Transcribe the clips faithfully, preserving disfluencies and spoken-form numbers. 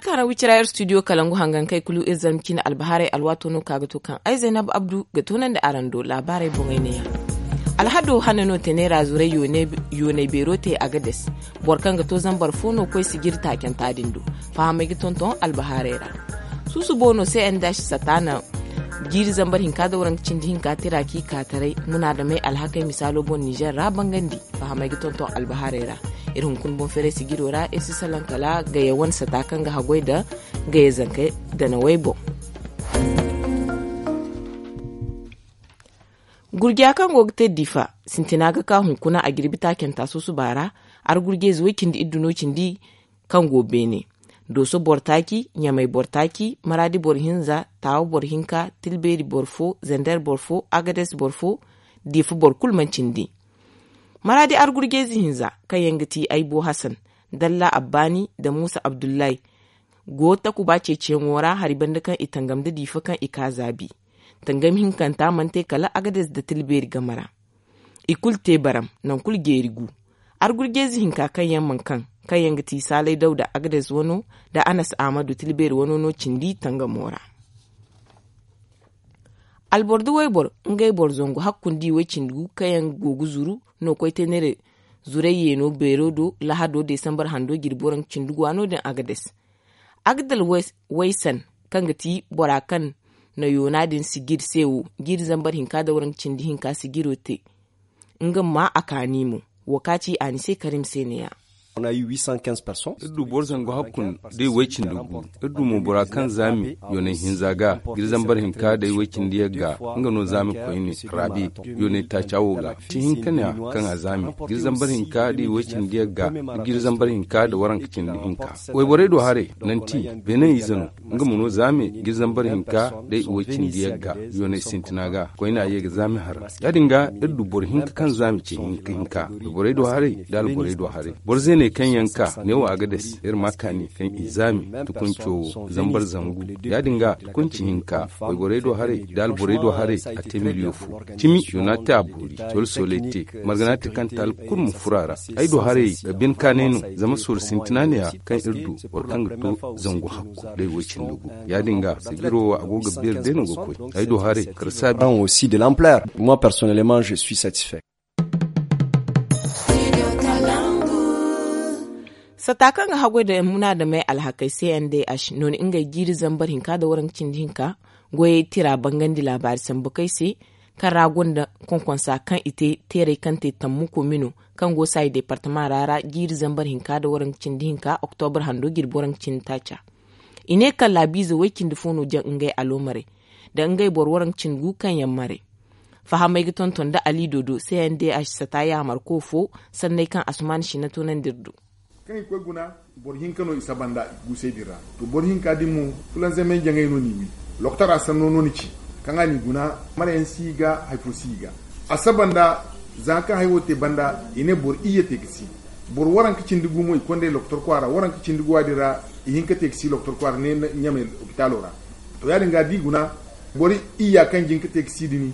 Kaŋ ra wicira ir studio kalangu hangan kay kulu ir zarma cine albahaarey alwaato no ka ga to kaŋ ay zaynab abdu ga toonandi araŋ do laabaarey boŋey neeya. Alhado hane no tene ra zuray yoonay beero te agades. Boro kaŋ ga to zambar fo no koy sijiri taacanta din do. Fahamey ga tonton albahaarey ra. Suusubo no se n daasi sata na jiiri zambar hinka da waranka cindi hinka tira k'i kaataray munaadamey alhakey misaalo boŋ nizer ra bangandi. Fahamey ga tonton albahaarey ra. Iri hunkuna boŋ feeray sijiro ra iri si salaŋ kala gaya wane sata kaŋ ga haggoy nda gaya zanka danawey boŋ. Gurja kaŋ go ga te difa sintina ga ka hunkuna a jirbi taacanta susuba ra. Argurjayze way cindi iddu no cindi kaŋ go beene. Dooso boro taaci ɲamay boro taaci maraadi boro hinza taawa boro hinka tilbeeri boro fo zander boro fo agades boro fo. Difa boro kulu mana cindi. Maraadi argurjayze hinza kaŋ yaŋ ga ti aybo hasan dalla abbaani nda muusa abdullahi. Go takuba ceeciyaŋo ra hari banda kaŋ i tangam nda diifa kaŋ i ka zaabi. Tangam hinkanta mana te kala agades nda tilbeeri game ra. I kulu te baram nangu kulu jeeri gu. Argurjayze hinka kaŋ yaŋ mana kaŋ kaŋ yaŋ ga ti saalay dawda agades wano nda anas ahmadu tilbeeri wano no cindi tangamo ra. Alboro da wayboro ngey boro zangu hakku nda i way cindi gu kaŋ yaŋ go ga zuru no koy te neera. Zuray yeeno beero do lahado desambar hando jirbi waranka cindi gu waano din agades. Agdal waysan kaŋ ga ti bora kaŋ na yoona din sijir se wo jiiri zambar hinka nda waranka cindi hinka sijiro te. Nga ma a kaani mo wo ka ci a ni se karim se ne ya. Iri du boro zangu hakkun day way cindi gu. Iri du mo bora kaŋ zaami yoonay hinza ga jiri zambar hinka day way cindi yagga. Nga no zaami koyne raabi yoonay taaca wo ga ci hinka ne ya kaŋ a zaami jiri zambar hinka day way cindi yagga. Jiri zambar hinka da waranka cindi hinka wayborey do haray nanti beene ize no. Nga ma no zaame ga iri zambar hinka da i way cindi yagga yoonay sintina ga koyne a ye ga zaame haran. Ya- din ga iri du boro hinka kaŋ zaame ce hinka hinka borey do haray da alborey do haray. Boro zeeney kaŋ yaŋ ka neewo a ga dasi iri ma kaani kaŋ i zaame tukunco zambar zangu. Ya- din ga tukunci hinka wayborey do haray da alborey do haray a te miliyo fo. Cimi yoona te a boori solo soley te margana te kaŋ taali kulu ma furo a ra. Ay do haray bine kaanay no zama sorro sintina ne ya kaŋ iri du boro kaŋ ga to zangu hakku day wo cindi gu. Ya- din ga sijiro wo a go ga beeri day no ga koy. Ay do haray kala saabi aussi de l'ampleur. Moi personnellement je suis satisfait. Sata kaŋ ga haggoy da munaadamey alhakey cndh nooni ngey jiiri zambar hinka nda waranka cindi hinka goyey tira bangandi laabaari sambu kay se. Kaŋ ra gonda konkonsa kaŋ i te teerey kaŋ te tammu komino kaŋ go saayi departama ra ra jiiri zambar hinka nda waranka cindi hinka oktobra hando jirbi waranka cindi taaca. I ne kaŋ laabiize way cindi fo no jaŋ ngey aloomarey nda ngey boro waranka cindi gu kaŋ yaŋ marey. Fahamey ga tonton nda ali dodo cndh sata yaamarko fo sanney kaŋ asuman sina toonandi iri do. Kaŋ i koy guna boro hinka no i saba nda i guusey din ra. To boro hinka din mo fulanzamey jaŋey no n'i wi. Loktora sanno no ni ci kaŋ a n'i guna marayaŋ si i ga hari fo si i ga. A saba nda za kaŋ hari wo te banda i ne boro iyye te ga si. Boro waranka cindi gu mo i kond'ey loktor kwaara waranka cindi guwa din ra. I hin ka te ga si loktor kwaara ne ɲamey lopitaalo ra. To ya- din ga da i guna boro iyya kaŋ jin ka te ga si dini.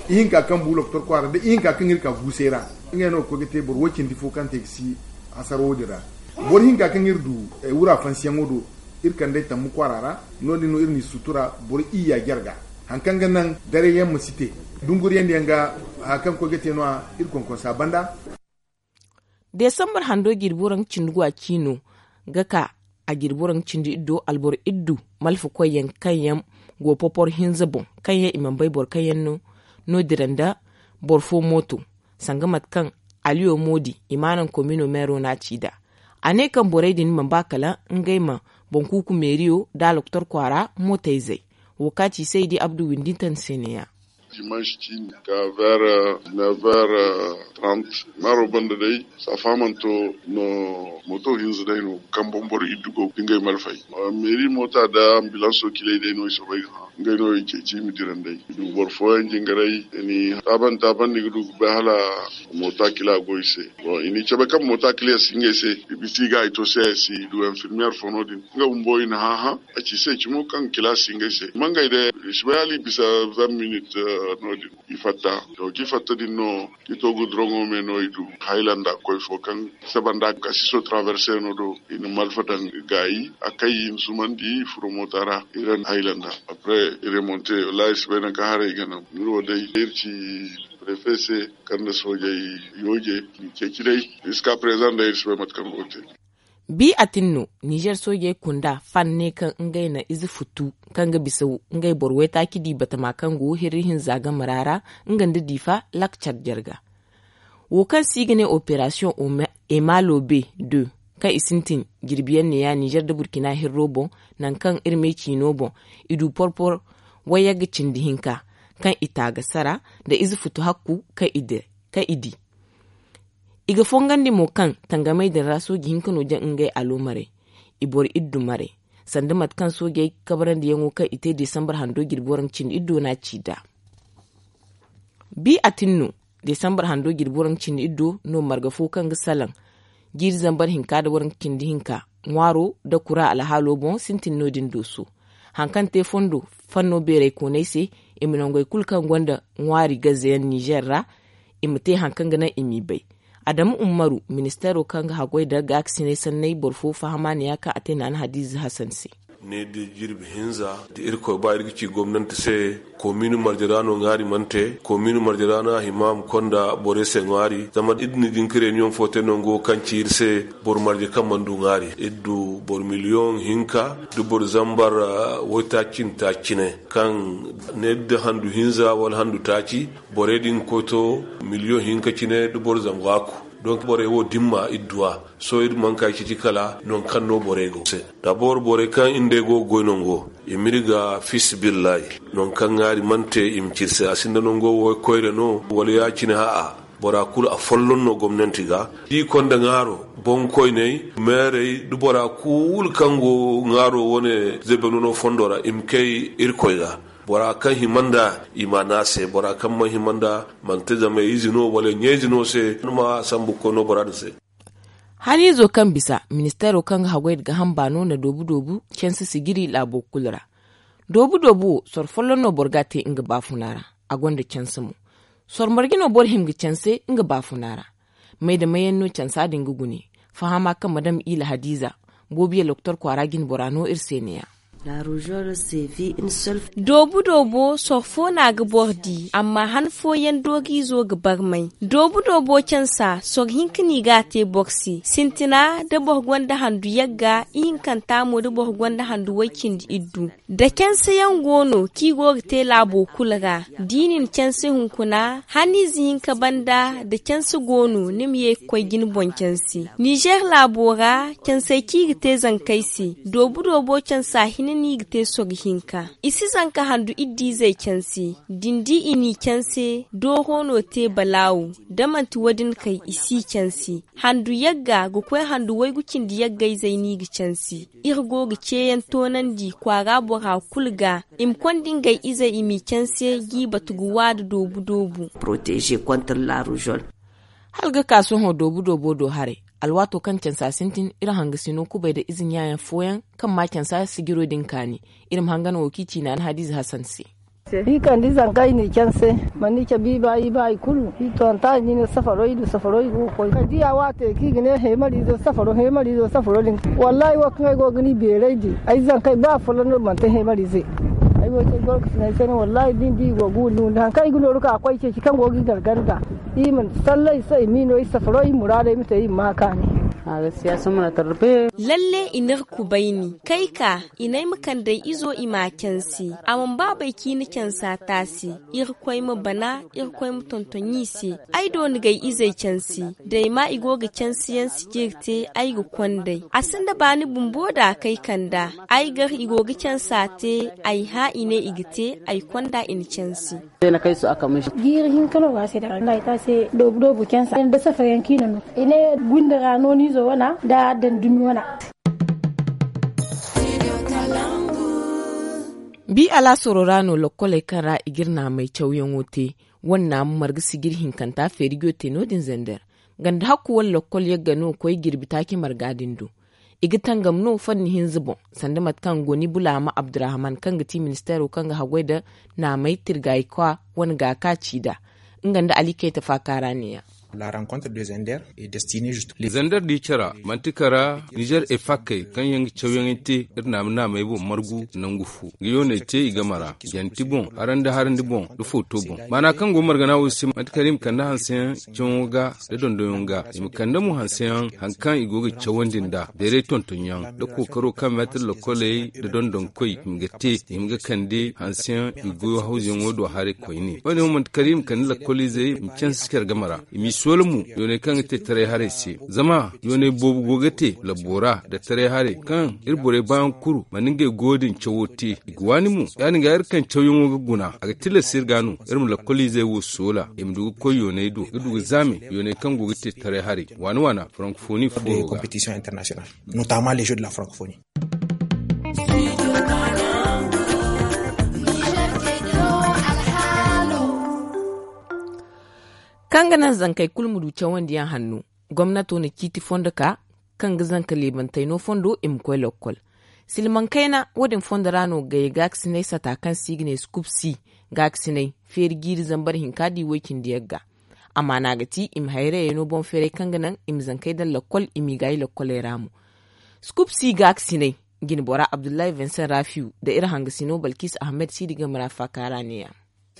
Ihinka kaŋ bu loktor kwaara nda ihinka kaŋ iri ka guusey ra. Ngey no ga koy ga te boro way cindi fo kaŋ te ga si hasaro wo- din ra. Boro hinka kaŋ iri du wura fansiyaŋo do iri kand'ey tammu kwaara ra. No- din no iri n'i sutura boro iyya jarga hari kaŋ ga naŋ darayyaŋ ma si te. Dunguriyandiyaŋ ga hari kaŋ ga koy ga te no- ya iri konkonsa banda. Desambar hando jirbi waranka cindi gu a ciino ga ka a jirbi waranka cindi iddo alboro iddu malfa koyyaŋ kaŋ yaŋ go popor hinza boŋ kaŋ yaŋ i mana bay boro kaŋ yaŋ no no- dira nda boro fo mooto. Sanga mate kaŋ aliyo moodi i maanaŋ komino meero no a ci nd'a. A ne kaŋ borey din mana ba kala ngey ma boŋ kuuku meeriyo nda aloktor kwaara mootayzey. Wo ka ci saydi abdu windinta ni se neeya. Dimanche ciini ka ver never trant maaro banda day. Saafamanto no mooto hinza day no kaŋ boŋ boro iddu go ga ngey malfay. Meeri moota nda ambilanso kilay day no i soobay ga hã. Ngey no i ceeci i ma dira nd'ey. I du boro fooyaŋ jingaray, i n'i taaban taaban, ni ga du ga bay hala mooto kila go i se. Bon, i n'i cabe kaŋ mooto kila si ngey se. I bisa i ga i to se, i si du infirmière fo no-din. Nga bumbo i na hã-hã a ci se cimo kaŋ kila si ngey se. Mangey day i si bay hala i bisa vingt minutes no-din. I fatta. To, kaŋ i fatta din no, kaŋ i to gudroŋo me no, i du haylanda koy fo kaŋ saba nda kasiso traverse no do. I na malfa daŋ gaayi a kay, i na zumandi, i furo moota ra, i ra haylanda. Après i remonte. Wallaahi, i si bay nangu kaŋ haray ga naŋ. Iri wo day iri ci prefe se kaŋ nda soojey yooje, i ceeci day. Jusqu'à présent day iri si bay mate kaŋ go ga te. Bi a tin no, nizer soojey kunda fan ne kaŋ ngey na ize futtu kaŋ ga bisa ngey boro waytaaci di batama kaŋ go hirri hinza game ra ra, nga nda diifa lakcar jarga. Wo kaŋ se i ga ne operasiyoŋ emalobe deux, kaŋ i sintin jirbiyaŋ neeya nizer nda burkina hirro boŋ, nangu kaŋ iri me ciino boŋ, i du porpor wayagga cindi hinka kaŋ i ta ga sara nda ize futu hakku kaŋ i di. I ga fongandi mo kaŋ tangamey din ra sooji hinka no jaŋ ngey aloomarey, i boro iddu marey, sanda mate kaŋ soojey kabarandiyaŋo kaŋ i te desambar hando jirbi waranka cindi iddu no a ci nd'a. Bi a tin no, desambar hando jirbi waranka cindi iddu no marga fo kaŋ ga salaŋ jiiri zambar hinka nda waranka cindi hinka ŋwaaro nda kura alhaalo boŋ sintin no-din dooso. Hari kaŋ te fondo fanno beeray kooney se, i ma nangey kulu kaŋ gonda ŋwaari gazeyaŋ nizer ra, i ma te hari kaŋ ga naŋ i m'i bay. Adamu ummaru, ministeero kaŋ ga haggoy nda gaakasinay sanney boro fo fahamaaniya kaŋ a te naana hadiize hasan se. Ne da jirbi hinza da irkoy ba iri ga ci gomnanti se. Komiini marje ra no ŋaari mana te. Komiini marje ra no a hima a ma konda borey se ŋwaari zama iri na jinka reniyoŋ fo te nango kaŋ ci iri se. Boro marje kaŋ mana du ŋaari iri du boro miliyoŋ hinka da boro zambar waytaaci nda taaci cine kaŋ ne da handu hinza wala handu taaci. Borey din ga koy to miliyoŋ hinka cine da boro zama waaku. Donk borey wo dimma iri du a. Sohõ iri mana kay citi kala nangu kaŋ no borey go se. Dabor borey kaŋ iri nd'ey go ga goy nango i m'iri ga fiisabilillahi. Nangu kaŋ ŋaari mana te i ma ci iri se a sinda nango wo koyra no wala ya-cine ha'a. Bora kulu afolloŋ no gomnanti ga da i konda ŋaaro boŋ koyney meerey da bora kulu kaŋ go ŋaaro wane zebeno no fondo ra i ma kay irkoy ga. Bora kaŋ hima nd'a i m'a ne a se bora kaŋ mana hima nd'a manti zama ize no wala ɲayze no se ni ma sambu ga koy no bora din se. Haniizo kaŋ bisa ministeero kaŋ ga haggoy nda gaaham baano na doobu doobu canse sijiri laabo kulu ra. Doobu doobu wo soro folloŋ no boro ga a te nga baafuna ra. A gonda canse mo. Soro marje no boro hima ga canse nga baafuna ra? May da mayaŋ no cansa din ga gune? Fahama kaŋ madam ila hadiiza boobiya doktor kwaara jine bora no iri se neeya. Doobu doobo soro fo no a ga boro di amma han fooyaŋ doogiizo ga barmay. Doobu doobo cansa soro hinka no i ga a te boro se sintina da boro gonda handu yagga ihinkanta mo da boro gonda handu way-cindi iddu. Da canseyaŋ go no kaŋ i go ga te laabo kulu ra da i na ni canse hunkuna haniize hinka banda da canse go no ni ma ye ga koy jine boŋ canse. Nizer laabo ra cansey kaŋ i ga te zankey se doobu doobo cansa hinne no i ga te soro hinka. I si zanka handu iddiizey canse da ni di i n'i canse dooro no te balaawo. Da manti wo- din kay i si i canse handu yagga ga koy handu waygu cindi yaggayzey no i ga canse. Iri go ga ceeyaŋ toonandi kwaara bora kulu ga i ma konda ngey izey i m'i canse g'i batu ga waada doobu doobu. Hala ga ka sohõ doobu doobo do haray. Alwaato kaŋ cansa sintin iri hangasino kubay nda ize ɲaayaŋ fooyaŋ kaŋ ma cansa sijiro din kaani. Iri ma hangan wo kaŋ i ci naana hadiize hasan se. I kande ize haŋ kaŋ i n'i canse. Mana ni cabe i ba i ba i kulu i toonta i n'i ne safaro i du safaro i go ga koy kala da i ya waate kaŋ i ga ne heemariizo safaro heemariizo safaro din. Wallaahi wo kaŋ ay go ga ni beeray di ay zankey ba afolloŋ no manti heemariize. Ay wo cey gorkasiney se no wallaahi da ni di i go ga windi windi haŋ kaŋ i ga nooru ka koy ceeci kaŋ go ga i garganda. I ma sallay i se i m'i no i safaro i muraadey ma te i ma ma kaani. Lalle i n'iri kubayni kay ka i ne ay ma kande ay izo i m'a canse. A mana ba bay kaŋ i na cansa te a se. Irkoy ma bana irkoy ma tonton i se. Ay do ni ga ay izey canse da ay ma i go ga canse yaŋ sijiri te ay ga konda ay a sinda baani bumbo da a kay kanda. Ay gar i go ga cansa te ay hã i ne i ga te ay konda i na canse. Jiiri hinka no go a se da ra nda ay te a se doobu doobu cansa nda safayaŋ kaŋ i na no i ne gunda ra nooniizo wana nda daŋ dumi wana. Bi alaasaro ra no lokkoley kaŋ ra i ga iri naamey cawyaŋo te. Wane naamu marga sijiri hinkanta feerijo te no- din zander. Ganda hakku wane lokkol yagga no koy jirbi taaci marga din do. I ga tangam no fanni hinza boŋ, sanda mate kaŋ goni bulaama abdurrahman kaŋ ga ti ministeero kaŋ ga haggoy nda naamey tirgaykwa wane ga ka ci nd'a. Nga nda ali kayta faaka ra ne- ya. Zander di care ra manti kara nizer efakkey kaŋ yaŋ ga cawyaŋey te iri naama naamey boŋ margu nangu fo ga yooney te i game ra. Janti boŋ harandi harandi boŋ nda footo boŋ maana kaŋ go margana wo se manti kara i ma kande hanseyaŋ cawaŋo ga nda dondonyaŋo ga i ma kande mo hanseyaŋ hari kaŋ i go ga cawandi nd'a beeray tontonyaŋ nda kookaro kaŋ meetir lokkoley nda dondonkoy i ma ga te i ma ga kande hanseyaŋ i goyo hawzuyaŋo do haray koyne. Wo- din wo manti kala i ma kande lakkoliizey i ma canse care game ra i m'i soola mo yooney kaŋ ga te taray haray se. Zama yooney boobo go ga te labbo ra nda taray haray kaŋ iri borey baayaŋ kulu mana ngey goyo din cawo te i ga waani mo. Ya- din ga iri kaŋ cawyaŋo ga guna a ga tilas iri ga no iri ma lakkoliizey wo soola i ma du ga koy yooney do ga du ga zaame yooney kaŋ go ga te taray haray waana waana farankofoni fooyaŋo ga. Kaŋ ga naŋ zankey kulu ma du cawandiyaŋ hanno, gomnato na ciiti fondo ka kaŋ ga zanka leebantey no fondo i ma koy lokkol. Silmaŋ kayna wo- din fondo ra no gayey gaakasiney sata kaŋ se i ga ne skub si gaakasiney feeri jiiri zambar hinka di woy-cindi yagga. Amaana ga ti i ma hayrayey no boŋ-feeray kaŋ ga naŋ i ma zankey daŋ lokkol i m'i gaayi lokkoley ra mo. Skub si gaakasiney jinbora abdullahi vincent rafiyu nda iri hangasino balkis ahmed siidi game ra faaka ra ne- ya.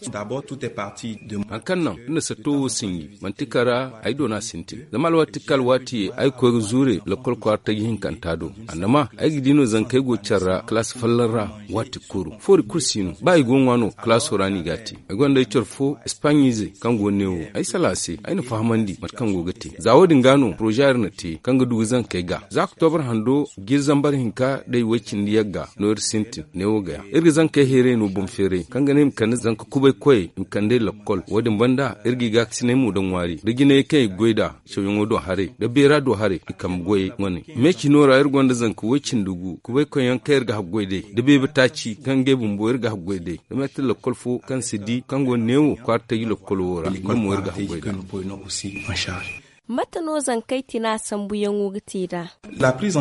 Hari kaŋ naŋ iri na satto wo sinji manti kara ay doona sintin zama alwaati kaŋ alwaati ay ga koy ga zuure lakkol kwaara taji hinkanta do. Annama ay ga di no zankey go care ra kalaasi folloŋ ra waati kulu foori kulu si no ba i go ga ŋwa no kalaaso ra no i g'a te. Ay gonda ay care fo espaɲiizey kaŋ go neewo ay salaŋ a se ay na fahamandi mate kaŋ go ga te za wo- din ga no poroza iri na te kaŋ ga du ga zankey ga za oktobra hando jiiri zambar hinka day woy-cindi yagga no iri sintin neewo ga ya iri ga zankey heeray no boŋ-feeray kaŋ ga ne i ma kande zanka kubay koyey i ma kand'ey lakkol wo- din banda iri ga i gaakasiney mo daŋ ŋwaari nda jinayey kaŋ i ga goy nd'a cawyaŋo do haray nda beera do haray i kambe goyey wane. Me cino ra iri gonda zanka woy-cindi gu kubay koyyaŋ kaŋ iri ga haggoy day nda beebe taaci kaŋ ngey bumbo iri ga haggoy day nda meetir lakkol fo kaŋ si di kaŋ go neewo kwaara taji lakkol wo ra nga mo iri ga haggoy nd'a. Mate no zankey tina sambuyaŋo ga te nd'a?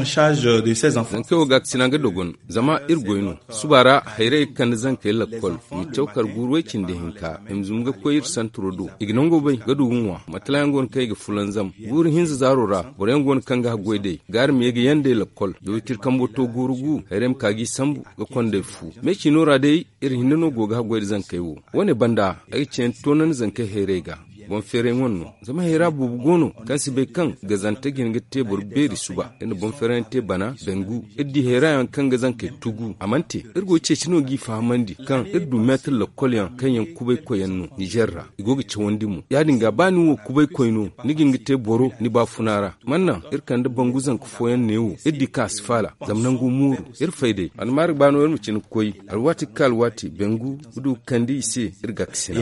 Zankey wo gaakasina ga dogon zama iri goy no. Suba ra hayrayey ga kande zankey lakkol i ma caw kar guuru way-cindi hinka i ma zumbu ga koy iri santiro do i ga nango bay ga du ga ŋwa matalayaŋ go no kaŋ i ga fulanzam. Guuru hinza zaaro ra boroyaŋ go no kaŋ ga haggoy day gaari ma ye ga yandey lakkol da wiciri kambo to guuru gu hayrayey ma ka g'i sambu ga kondey fu. Me cino ra day iri hinne no go ga haggoy da zankey wo. Wo- ne banda ay ga cayandi toonandi zankey hayrayey ga boŋ-feerayyaŋo no. Zama hayra boobo go no kaŋ si bay kaŋ gazante ga hin ga te boro beeri suba iri na boŋ-feerayyaŋ te bana dangu iri di hayra yaŋ kaŋ ga zankey tugu a mana te. Iri go ga ceeci no g'i fahamandi kaŋ iri du meetir lakkol yaŋ kaŋ yaŋ kubay koyyaŋ no nizer ra i go ga cawandi mo ya- din ga ba ni wo kubay koy no ni ga hin ga te boro ni baafuna ra. Mana naŋ iri kande bangu zanka fooyaŋ neewo iri di kaŋ a si faala zama nangu mooru iri fay day almaari ga ba no iri ma cine ga koy. Alwaati ga ka alwaati bangu ga du ga kande i se iri gaakasina.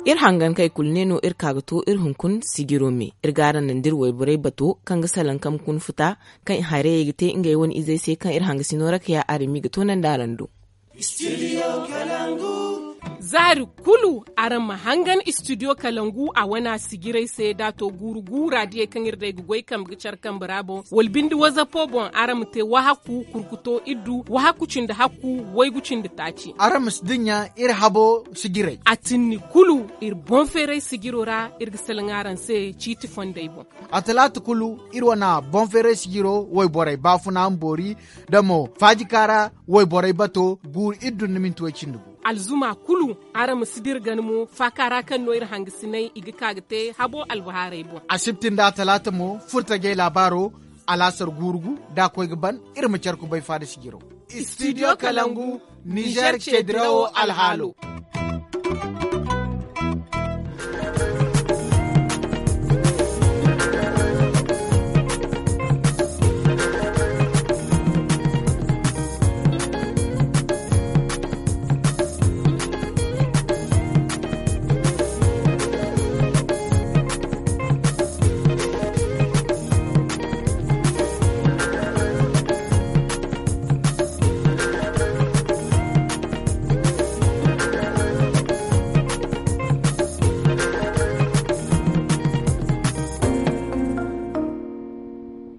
Iri hangankey kulu ne no iri ka ga to iri hunkuna sijiro me iri ga araŋ naŋ da iri wayborey bato kaŋ ga salaŋ kambe kuna futa kaŋ i hayrayey ga te ngey wane izey se kaŋ iri hangasino ra ka ya araŋ m'i ga toonandi araŋ do. Zaari kulu araŋ ma hangan istidiyo kalangu a wana sijirey se da a to guuru gu raadiyey kaŋ iri day ga goy kambe ga care kambe ra boŋ wala binde wazapo boŋ araŋ ma te wahaku kurkuto iddu wahaku cindi hakku waygu cindi taaci. Araŋ ma si dinya iri habo sijirey a tinni kulu iri boŋ-feeray sijiro ra iri ga salaŋ araŋ se ciiti fondey boŋ. A talaata kulu iri wane boŋ-feeray sijiro wayborey baafuna ma boori da mo faajika ra wayborey bato guuru iddu nda minti way cindi gu. Alzuma kulu araŋ ma si dira gana mo faaka ra kaŋ no iri hangasiney i ga ka ga te habo albahaarey boŋ. Asibti nda atalaata mo furtajey laabaaro alaasar guuru gu da a koy ga ban iri ma care kubay faada sijiro. Istidiyo kalangu nizer ceedirawo alhaalo.